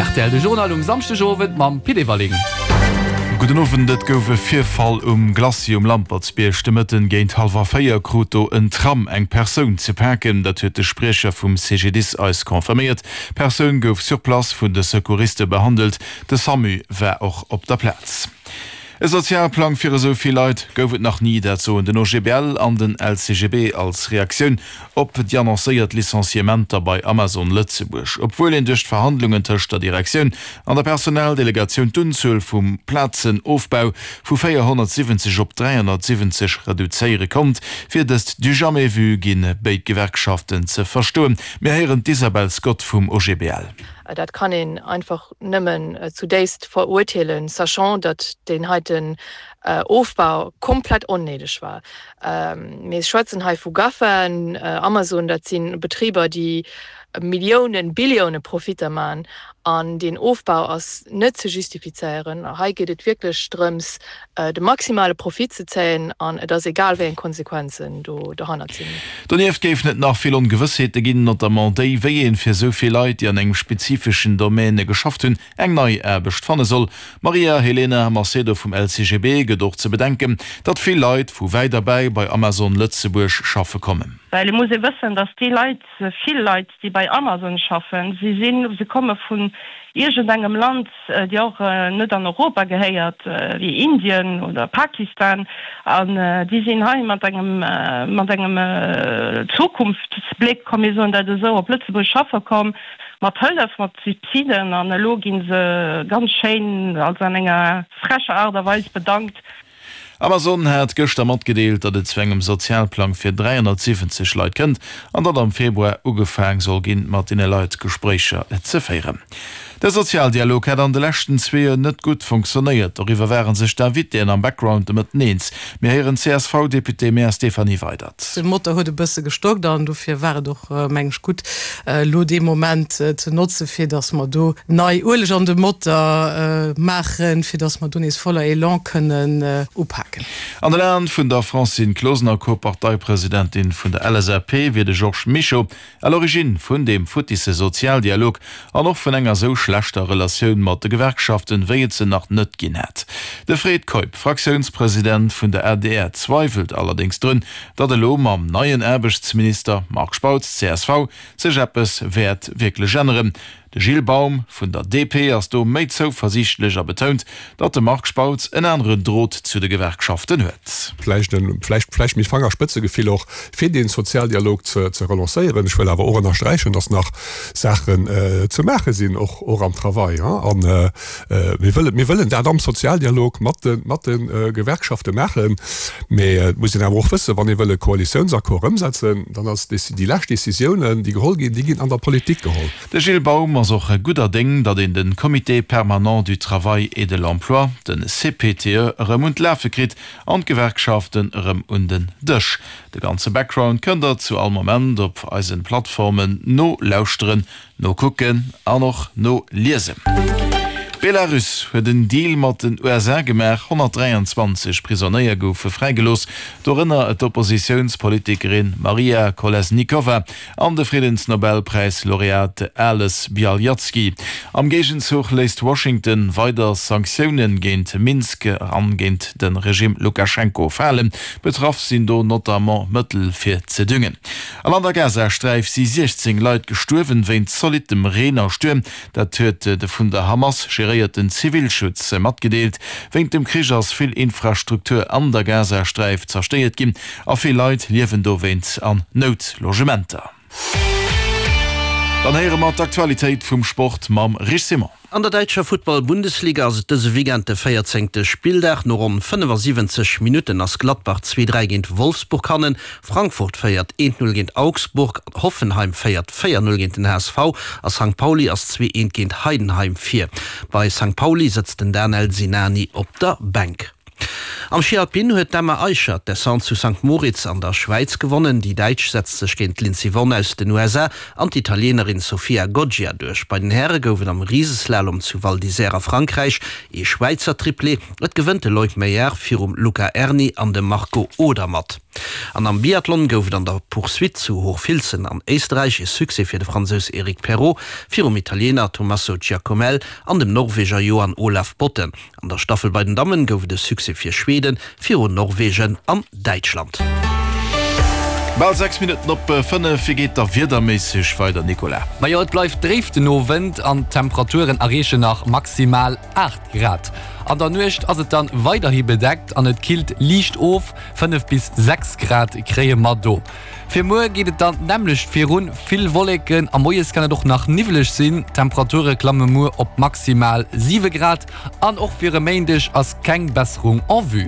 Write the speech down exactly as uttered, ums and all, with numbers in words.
R T L de Journal um Samschdegowend mam Pit Everling. Gudden Owend, Et gouf e Virfall um Glacis um Lampertsbierg. De Mëtten géint hallwer véier krut do en Tram eng Persoun ze paken. Dat huet de Spriecher vum C G D I S eis confirméiert. D'Persoun gouf sur place vun de Secouriste behandelt. De SAMU war och op der Plaz. E Sozialplang fir esou vill Leit gouf et nach ni, dat soen den O G B L an den L C G B als Reaktioun op déi annoncéiert Licenciementer bei Amazon Lëtzebuerg. Obwuel een duerch d'Verhandlungen tëscht der Direktioun an der Personaldelegatioun d'Unzuel vum Plazenofbau vu véierhonnertsiwwenzeg op dräihonnertsiwwenzeg reduzéiere konnt, wier dëst du jamais vu, ginn béid Gewerkschaften ze verstoen. Mir héieren d'Isabel Scott vum O G B L. Dat kann een einfach nëmmen zudéifst verurteelen, sachant datt deen heiten Ofbau komplett onnéideg war. Mir schwätzen hei vu GAFAen, Amazon, dat si Betriber, déi Milliounen, Billioune Profitter maachen, an den Ofbau ass net ze justifizéieren. Hei geet et wierklech drëms, de maximale Profit ze zéien, an et ass egal, wéi eng Konsequenzen do dohannert sinn. Donieft géifen et nach vill Ongewëssheete ginn, notamment déi, wéi een fir esou vill Leit, déi an engem spezifeschen Domaine geschafft hunn, eng nei Aarbecht fanne soll. Maria Helena Macedo vum L C G B gëtt och ze bedenken, datt vill Leit vu wäit erbäi bei Amazon Lëtzebuerg schaffe kommen. Well et muss ee wëssen, datt déi Leit, vill Leit, déi bei Amazon schaffen, si sinn, se komme vun iergendengem Land, déi och net an Europa gehéiert, wéi Indien oder Pakistan, an déi sinn hei mat engem, mat engem Zukunftsbléck, komm mir soen dat esou, op Lëtzebuerg schaffe komm, mat Hëllef, mat Subsiden, an elo gi se ganz schéin, also an enger frecher Aart a Weis bedankt. Amazon hat gëschter matgedeelt, datt et zu engem Sozialplang fir dräihonnertsiwwenzeg Leit kënnt an datt am Februar ugefaang soll ginn, mat deene Leit Gespréicher ze féieren. De Sozialdialog hätt an de leschten zwee Joer net gutt funktionéiert. Doriwwer ware sech d'Invitéen am Background de Mëtten eens. Mir héieren d'C S V-Deputé-Maire Stéphanie Weydert. De Motor huet e bësse gestockt an dofir war et och, mengen ech, gutt, elo dee Moment ze notze fir datt mer do nei Ueleg an de Motor maachen, fir datt mer do nees voller Elan kënnen upaken. An den Aen vun der Francine Closener, Co-Parteipresidentin vun der L S A P, wier de Georges Mischo à l'origine vun deem futtisse Sozialdialog an och vun enger sou schlechter Relatioun mat de Gewerkschaften, wéi et se nach net ginn hätt. De Fred Keup, Fraktiounspresident vun der A D R, zweiwelt allerdéngs drun, datt elo mam neien Aarbechtsminister Marc Spautz, C S V, sech eppes wäert wierklech änneren. De Gilles Baum vun der D P ass do méi zouversiichtlech a betount, datt de Marc Spautz en aneren Drot zu de Gewerkschaften huet. Vläicht vläicht vläicht méi Fangerspëtzegefill och fir den Sozialdialog ze ze relancéieren. Ech wëll awer och ënnersträichen, datt nach Saachen äh, ze maache sinn, och och am Travail, ja? An äh, mir wëllen mir wëllen dat am Sozialdialog mat de mat den äh, Gewerkschafte maachen. Mee äh, muss een awer och wëssen, wann ee wëll e Koalitiounsaccord ëmsetzen, dann ass déi lescht Decisiounen, déi geholl ginn, déi ginn an der Politik geholl. De Gilles Baum ass och gudder Déng, datt een de Comité permanent du travail et de l'emploi, den C P T E, erëm un d'Lafe kritt an d'Gewerkschaften erëm un den Dësch. De ganze Background kënnt der zu all Moment op eisen Plattformen nolauschteren, nokucken an och noliesen. Belarus huet en Deal mat den U S A gemaach, honnertdräianzwanzeg Prisonéier goufe fräigelooss, dorënner d'Oppositiounspolitikerin Maria Kolesnikova an de Friddensnobelpräislaureat Ales Bialiatski. Am Géigenzuch léisst Washington weider Sanktioune géint Minsk an géint de Regime Lukaschenko falen. Betraff sinn do notamment Mëttel fir ze düngen. An an der Gazasträif si siechzéng Leit gestuerwen wéinst zolittem Reen a Stuerm, dat huet de vun der Hamas geréierten Zivilschutz matgedeelt. Wéinst dem Krich ass vill Infrastruktur an der Gazasträif zerstéiert ginn a vill Leit liewen dowéinst an Noutlogementer. Dann héiere mer d'Aktualitéit vum Sport mam Rich Simon. An der däitscher Futtball-Bundesliga ass et dëse Weekend de véierzéngte Spilldag. No ronn fënnefasiwwenzeg Minutten ass Gladbach zwee dräi géint Wolfsburg hannen, Frankfurt féiert eent null géint Augsburg, Hoffenheim féiert véier null géint den H S V a Sankt Pauli ass zwee eent géint Heidenheim vir. Bei Sankt Pauli sëtzt den Danel Sinani op der Bänk. Am Schi Alpin huet d'Emma Aicher d'Descente zu Sankt Moritz an der Schwäiz gewonnen. Déi Däitsch setzt sech géint d'Lindsey Vonn aus den U S A an d'Italienerin Sofia Goggia duerch. Bei den Häre gouf et am Riseslalom zu Val d'Isère a Frankräich ee Schwäizer Triplé. Et gewënnt de Loïc Meillard virum Luca Aerni an dem Marco Odermatt. An am Biathlon gouf et an der Poursuite zu Hochfilzen an Éisterräich ee Succès fir de Fransous Eric Perrot virum Italiener Tommaso Giacomel an dem Norweger Johan Olav Botten. An der Staffel bei den Dammen gouf et e Succès fir Schweden virun Norwegen an Däitschland. Bal sechs Minutten op fënnef. Wéi geet da wiederméisseg weider, Nicolas? Majo, et bleift dréif den Owend an d'Temperaturen erreechen nach maximal aacht Grad. An der Nuecht ass et dann weiderhi bedeckt an et killt liicht of, fënnef bis sechs Grad kréie mer do. Fir muer geet et dann d'nämmlecht virun, vill Wolleken a moies kann et och nach niwweleg sinn. D'Temperature klamme muer op maximal siwe Grad an och fir e Méindeg ass keng Besserung en vue.